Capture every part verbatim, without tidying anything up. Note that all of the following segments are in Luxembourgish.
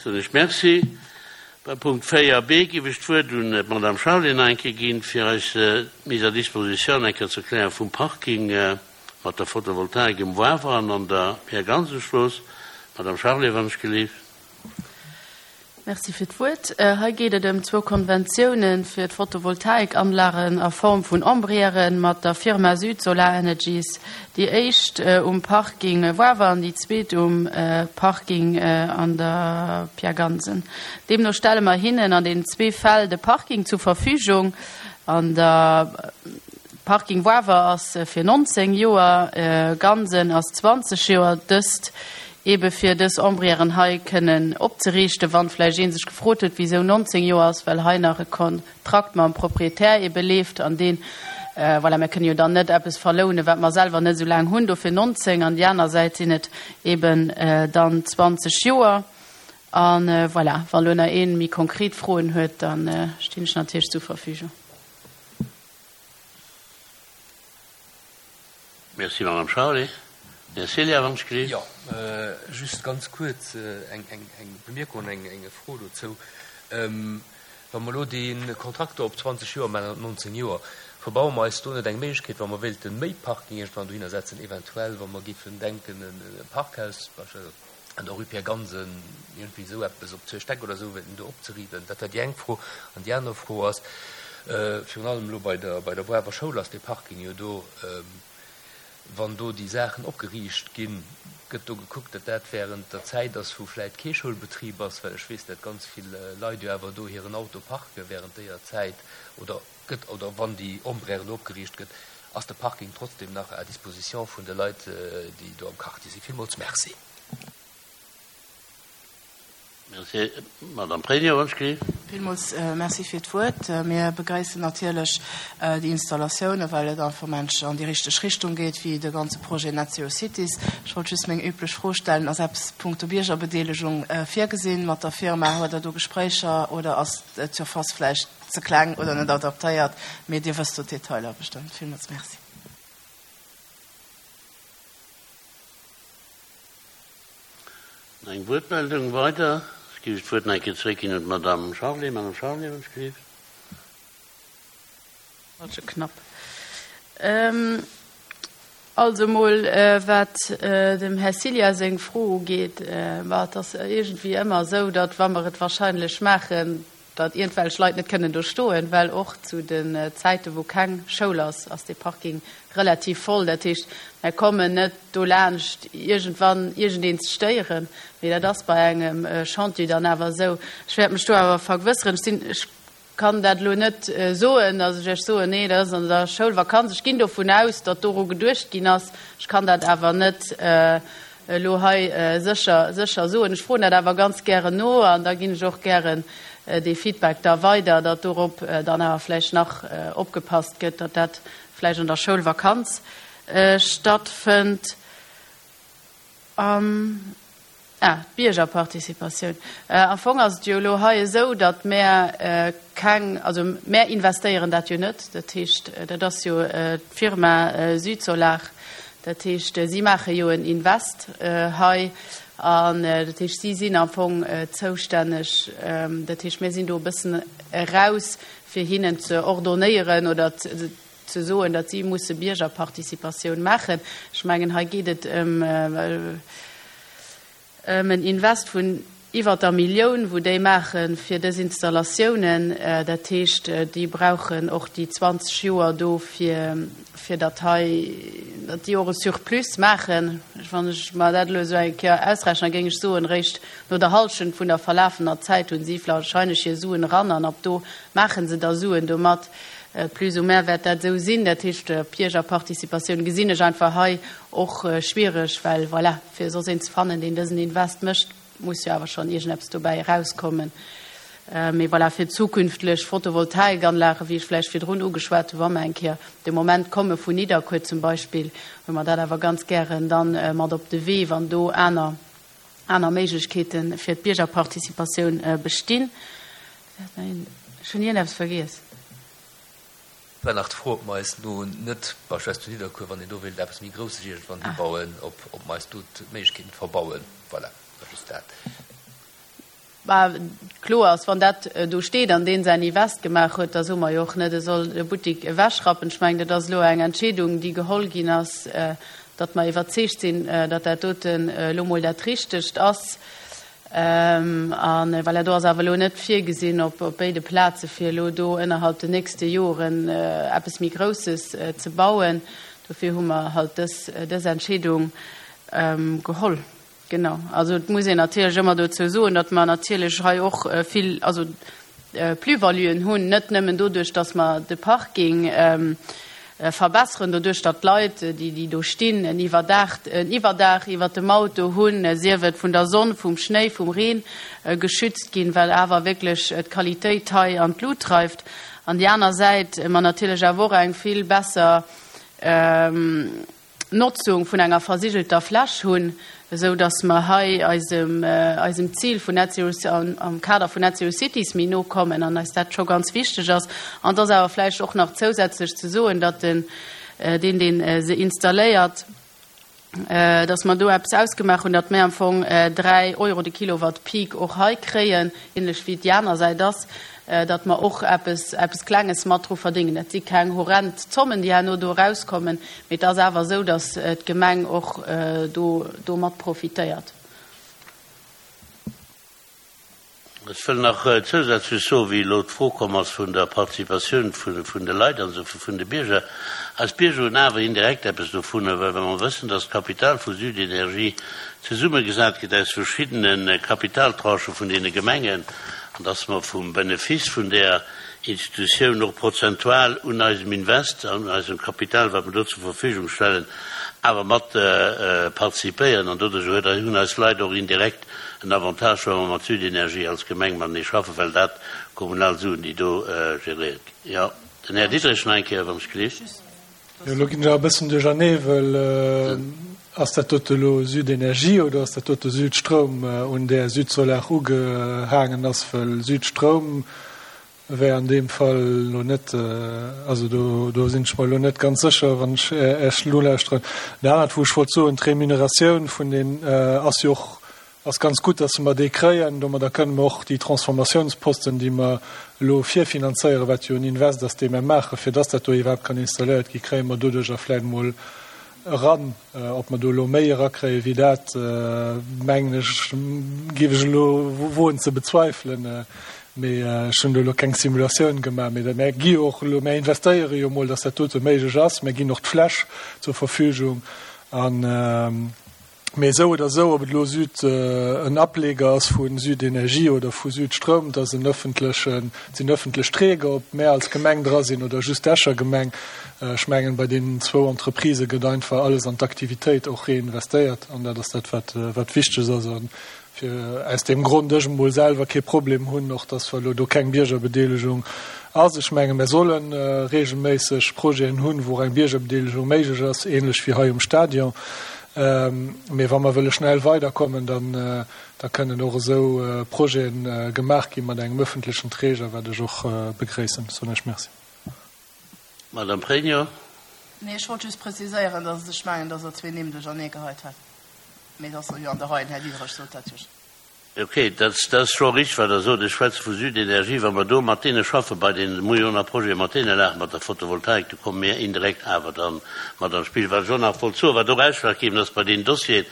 Soen ech Merci. Beim Punkt véier b géif ech d'Wuert un d'Madame Charlé nach eng Kéier ginn, fir eis d'Mise à disposition eng Kéier ze erklären vum Parking mat der Photovoltaik um Wawer an an der Pierre-Gansen-Strooss. Madame Charlé, wann ech gelift. Merci fir d'Wuert. Hei geet et ëm zwou Konventiounen fir d'Photovoltaikanlagen a Form vun Ombrièren mat der Firma Süd Solar Energies. Déi éischt um Parking Wawer an déi zweet um Parking an der Pierre Gansen. Deemno stelle mer hinnen an den zwee Fäll de Parking zur Verfügung. An der Parking Wawer ass fir nonzéng Joer, Gansen ass zwanzeg Joer. Dëst ebe fir dës Ombrièren hei kënnen opzeriichten, wann vläicht ee sech gefrot huet, wisou nonzéng Joer ass, well hei nach e Kontrakt mam Proprietär ebe leeft an deen, voilà, mir kënnen jo dann net eppes verlounen, wat mer selwer net esou laang hunn, dofir nonzéng, an déi aner Säit sinn et eben dann zwanzeg Joer. A voilà, wa lo nach ee méi konkret Froen huet, da stinn ech natierlech zur Verfügung. Merci, Madame Charlé. Här Celia, wann ech gelift. Jo, just ganz kuerz eng Bemierkung an eng Fro dozou. Wa mer elo dee Kontrakt do op zwanzeg Joer maachen an op nonzéng Joer, verbaue mer eis do net eng Méiglechkeet, wa mer wéilte méi Parking iergendwann dohinner setzen, eventuell wa mer géifen denken e Parkhaus beispillsweis an der Rue Pierre Gansen, iergendwéi esou eppes op zwee Stäck oder esou wéilten do opzeriichten? Dat war déi eng Fro. An déi aner Fro ass, virun allem elo bei der bei der Woawer Schoul ass dee Parking jo do, wann do déi Saachen opgeriicht ginn, gëtt do gekuckt, datt dat während der Zäit ass, wou vläicht kee Schoulbetrib ass, well ech weess, datt ganz vill Leit jo awer do hiren Auto parke während déier Zäit, oder gëtt, oder wann déi Ombrère do opgeriicht gëtt, ass de Parking trotzdem nach à disposition vun de Leit, déi do am Quartier sinn. Villmools merci. Merci. Madame Pregno, wann ech gelift. Villmools Merci fir d'Wuert. Mir begréissen natierlech déi Installatioune, well et einfach mensch an déi richteg Richtung geet, wéi de ganze Projet Net Zero Cities. Ech wollt just meng üblech Fro stellen, Ass eppes punkto Biergerbedeelegung virgesinn mat der Firma? Huet Der do Gespréicher oder ass d'Surface vläicht ze kleng oder net adaptéiert? Mee Dir wësst do d'Detailer bestëmmt. Villmools Merci. Eng Wuertmeldung weider. Ech géif d'Wuert nach eng Kéier zeréckginn un d'Madame Charlé. Madame Charlé, wann ech gelift. Ganz schön knapp. Also emol, wat dem Här Cilla seng Fro ugeet, ma et ass iergendwéi ëmmer esou, datt, wa mer et wahrscheinlech maachen, datt iergendwelch Leit net kënnen do stoen, well och zu den Zäiten, wou keng Schoul ass, ass dee Parking relativ voll. Dat heescht, mer kommen net dolaanscht, iergendwann iergendeen ze stéieren. Mee dat ass bei engem Chantier dann awer esou. Ech wäert mech do awer vergewësseren. Ech sinn, ech kann dat elo net soen, datt ech Iech soen, nee, dat ass an der Schoulvakanz. Ech ginn dovun aus, datt doru geduecht ginn ass. Ech kann dat awer net elo hei sécher, sécher soen. Ech froen dat awer ganz gären no an da ginn ech och gären dee Feedback da weider, datt dorop dann awer vläicht nach opgepasst gëtt, datt dat vläicht an der Schoulvakanz stattfënnt. An, ah, d'Biergerparticipatioun. Am Fong ass et jo elo hei esou, datt mär keng, also mär investéieren dat jo net. Dat heescht, dat ass jo d'Firma Südsolar. Dat heescht, si maache jo en Invest hei an dat heescht, si sinn am Fong zoustänneg. Dat heescht, mir sinn do e bëssen eraus, fir hinnen ze ordonnéieren oder ze soen, datt si musse Biergerparticipatioun maachen. Ech mengen, hei geet et ëm en Invest vun iwwer der Millioun, wou déi maache fir dës Installatiounen. Dat heescht, déi brauchen och déi zwanzeg Joer do, fir, fir datt hei, datt déi och e Surplus maachen. Wann ech mer dat elo esou eng Kéier ausrechnen, da géing ech soen, réischt no der Hallschent vun der verlafener Zäit hunn si wahrscheinlech hir Suen eran an ab do maache se da Suen domat. Plus ou moins wäert dat esou sinn. Dat heescht, Biergerparticipatioun gesinn ech einfach hei och schwierig, well, voilà, fir soss een ze fannen, deen dësen Invest mécht, muss jo awer schonn iergendeppes dobäi erauskommen. Mee voilà, fir zukünftlech Photovoltaikanlagen, wéi ech vläicht virdrun ugeschwat hunn, wa mer eng Kéier de Moment komme vun Nidderkuer zum Beispill, hu mer dat awer ganz gären dann mat op de Wee, wann do aner, aner Méiglechkeete fir d'Biergerparticipatioun bestinn. Ech hunn iergendeppes vergiess. War nach d'Fro, ob mer eis do net, beispillsweis zu Nidderkuer, wann een do wéilt eppes méi Grousses iergendwann hibauen, ob, ob mer eis do d'Méiglechkeet net verbauen. Voilà, dat war just dat. Bah, kloer ass, wann dat do steet an deen säin Invest gemaach huet, da soe mer jo och net, e soll de Buttik ewechrappen. Ech mengen, dat ass elo eng Entscheedung, déi geholl ginn ass, datt mer iwwerzeegt sinn, datt dat doten elo mol dat Richtegt ass. A voilà, do ass awer elo net virgesinn op béide Plaze fir elo do ënnerhalb den nächste Joren eppes méi Grousses ze bauen. Dofir hu mer halt dës, dës Entscheedung geholl. Genau. Also et muss een natierlech ëmmer dozou soen, datt mer natierlech hei och vill, also Plus-valuen hunn, net nëmmen doduerch, datt mer de Parking verbesseren, doduerch datt d'Leit, déi déi do stinn, en Iwwerdaach, en Iwwerdaach iwwert dem Auto hunn, sief et vun der Sonn, vum Schnéi, vum Reen geschützt ginn, well awer wierklech d'Qualitéit hei an d'Lut dreift. An déi aner Säit mer natierlech awer och eng vill besser Notzung vun enger versigelter Fläch hunn, esou datt mer hei eisem, eisem Zil vun Net Zero, am Kader vun Net Zero Cities méi no kommen an eis dat scho ganz wichteg ass. An et ass awer vläicht och nach zousätzlech ze soen, datt den, deen, dee se installéiert, datt mer do eppes ausgemaach hunn, datt mir am Fong dräi Euro de Kilowatt Peak och hei kréien, ähnlech wéi et déi aner Säit ass, datt mer och eppes, eppes Klenges mat dru verdéngen. Dat si keng horrend Zommen, déi herno do erauskommen, mee et ass awer esou, datt d'Gemeng och do, do mat profitéiert. Ech wëll nach zousätzlech soen, wéi elo d'Fro komm ass vun der Participatioun vun de Leit an esou vun de Bierger. Eis Bierger hunn awer indirekt eppes dovunner, well wa mer wëssen, dass d'Kapital vu Südenergie zesummegesat gëtt aus verschiddene Kapitaltranchë vun deene Gemengen an dass mer vum Benefice vun där Institutioun och prozentual un eisem Invest, an eisem Kapital, wat mer do zur Verfügung stellen, awer mat participéieren. An doduerch hunn eis Leit och indirekt en Avantage, wa mer mat Südenergie als Gemeng matenee schaffen, well dat kommunal Suen, déi do geréiert ginn. Jo, den Här Diderich nach eng Kéier, wann ech gleef. Jo, elo ginn ech awer e bëssen duerchernee, well ass dat dote elo Südenergie oder ass dat dote Südstroum, un där Südsolar ugehaangen ass? Well Südstroum wär an deem Fall elo net, also do, do sinn ech mer elo net ganz sécher, wann ech Iech nolauschteren. Dat anert, wou ech wollt soen, d'Remuneratioun vun den ass jo och, ass ganz gutt, dass mer déi kréien. Domadder kënne mer och déi Transformatiounsposten, déi mer elo virfinanzéieren, wat jo en Invest ass, dee mer maachen, fir dass dat do iwwerhaapt kann installéiert ginn, kréie mer doduerjer vläicht emol eran. Ob mer do elo méi erakréie wéi dat, mengen ech, géif ech elo woen ze bezweifelen. Mee ech hunn do elo keng Simulatioun gemaach. Mee mär gi jo och elo, mär investéiere jo emol, dass dat dote méiglech ass. Mär ginn och d'Fläch zur Verfügung. An, mee esou oder esou, ob et elo Süd, en Ableger ass vu Südenergie oder vu Südstroum, et ass en öffentlechen, et sinn öffentlech Träger, ob mär als Gemeng dra sinn oder just d'Escher Gemeng. Ech mengen, bei deenen zwou Entreprisë gëtt einfach alles an d'Aktivitéit och reinvestéiert. An dat ass dat, wat, wat wichteg ass. A fir aus deem Grond ech emol selwer kee Problem hunn, och dass elo do keng Biergerbedeelegung ass. Ech menge mir solle regelméisseg Projeten hunn, wou och eng Biergerbedeelegung méiglech ass, ähnlech wéi hei um Stadion. Mee wa mer wëlle schnell weiderkommen, dann da kënnen och esou Projete gemaach gi mat engem öffentlechen Träger, wat ech och begréissen. Soen ech Merci. Madame Pregno. Nee, ech wollt just preziséieren, dass ech mengen, dass Der zwee Nimm duerchernee geheit hat. Mee dat ass jo an der Rei, den Här Diderich sot dat jo. Okay, dat ass scho richteg, wat Der sot. Ech schwätze vu Südenergie. Wa mer do mat deene schaffen, bei deenen Millioner Projete mat deene laachen, mat der Photovoltaik, do komme mir indirekt awer da mat an d'Spill. Wat ech och nach wollt soen, wat och ausschlaggebend ass bei deenen Dossieren,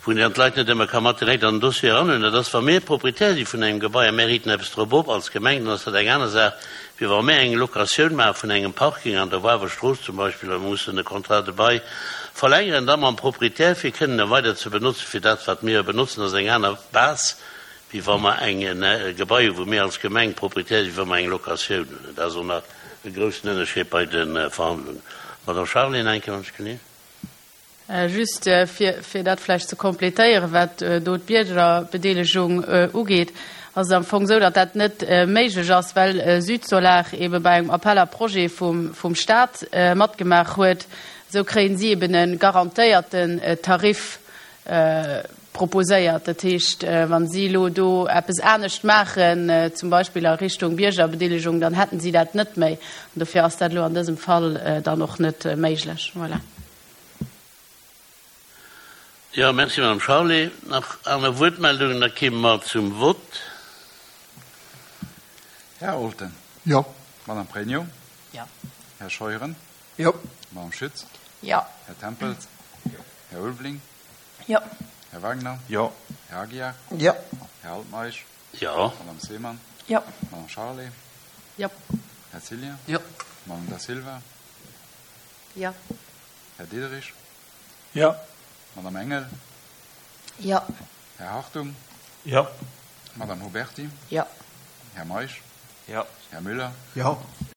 wou een dann d'Leit net ëmmer ka mat direkt an den Dossier eranhuelen, dat ass, wa mir Proprietär si vun engem Gebai a mir riiten eppes drop op als Gemeng, dann ass dat eng aner Saach, wéi wa mir eng Locatioun maache vun engem Parking an der Wawer Strooss zum Beispill a mir mussen e Contrat de bail verlängeren, da mam Proprietär, fir kënnen e weider ze benotzen, fir dat, wat mir benotzen, ass eng aner Base, wéi wa mer eng e Gebai hunn, wou mir als Gemeng Proprietär sinn, wa mer eng Locatioun hunn. Dat ass och nach e groussen Ënnerscheed bei de Verhandlungen. Madame Charlé, nach eng Kéier, wann ech geleeën. Just fir, fir dat vläicht ze complétéieren, wat do d'Biergerbedeelegung ugeet, ass et am Fong esou, datt dat net méiglech ass, well Südsolar ebe bei engem Appel à projets vum, vum Stat matgemaach huet. Esou kréien si eben e garantéierten Tarif proposéiert. Dat heescht, wa si elo do eppes anescht maachen, zum Beispill a Richtung Biergerbedeelegung, dann hätten si dat net méi. An dofir ass dat elo an dësem Fall dann och net méiglech. Voilà. Jo, merci, Madame Charlé. Nach aner Wuertmeldungen? Da kéime mer zum Vott. Här Olten. Jo. Madame Pregno. Jo. Här Scheuren. Jo. Madame Schütz. Jo. Här Tempels. Jo. Här Ulveling. Jo. Här Wagner. Jo. Här Aguiar. Jo. Här Altmeisch. Jo. Madame Seemann. Jo. Madame Charlé. Jo. Här Cillien. Jo. Madame Da Silva. Jo. Här Diderich. Jo. Madame Engel. Jo. Här Hartung. Jo. Madame Huberty. Jo. Här Meisch. Jo. Här Müller. Jo.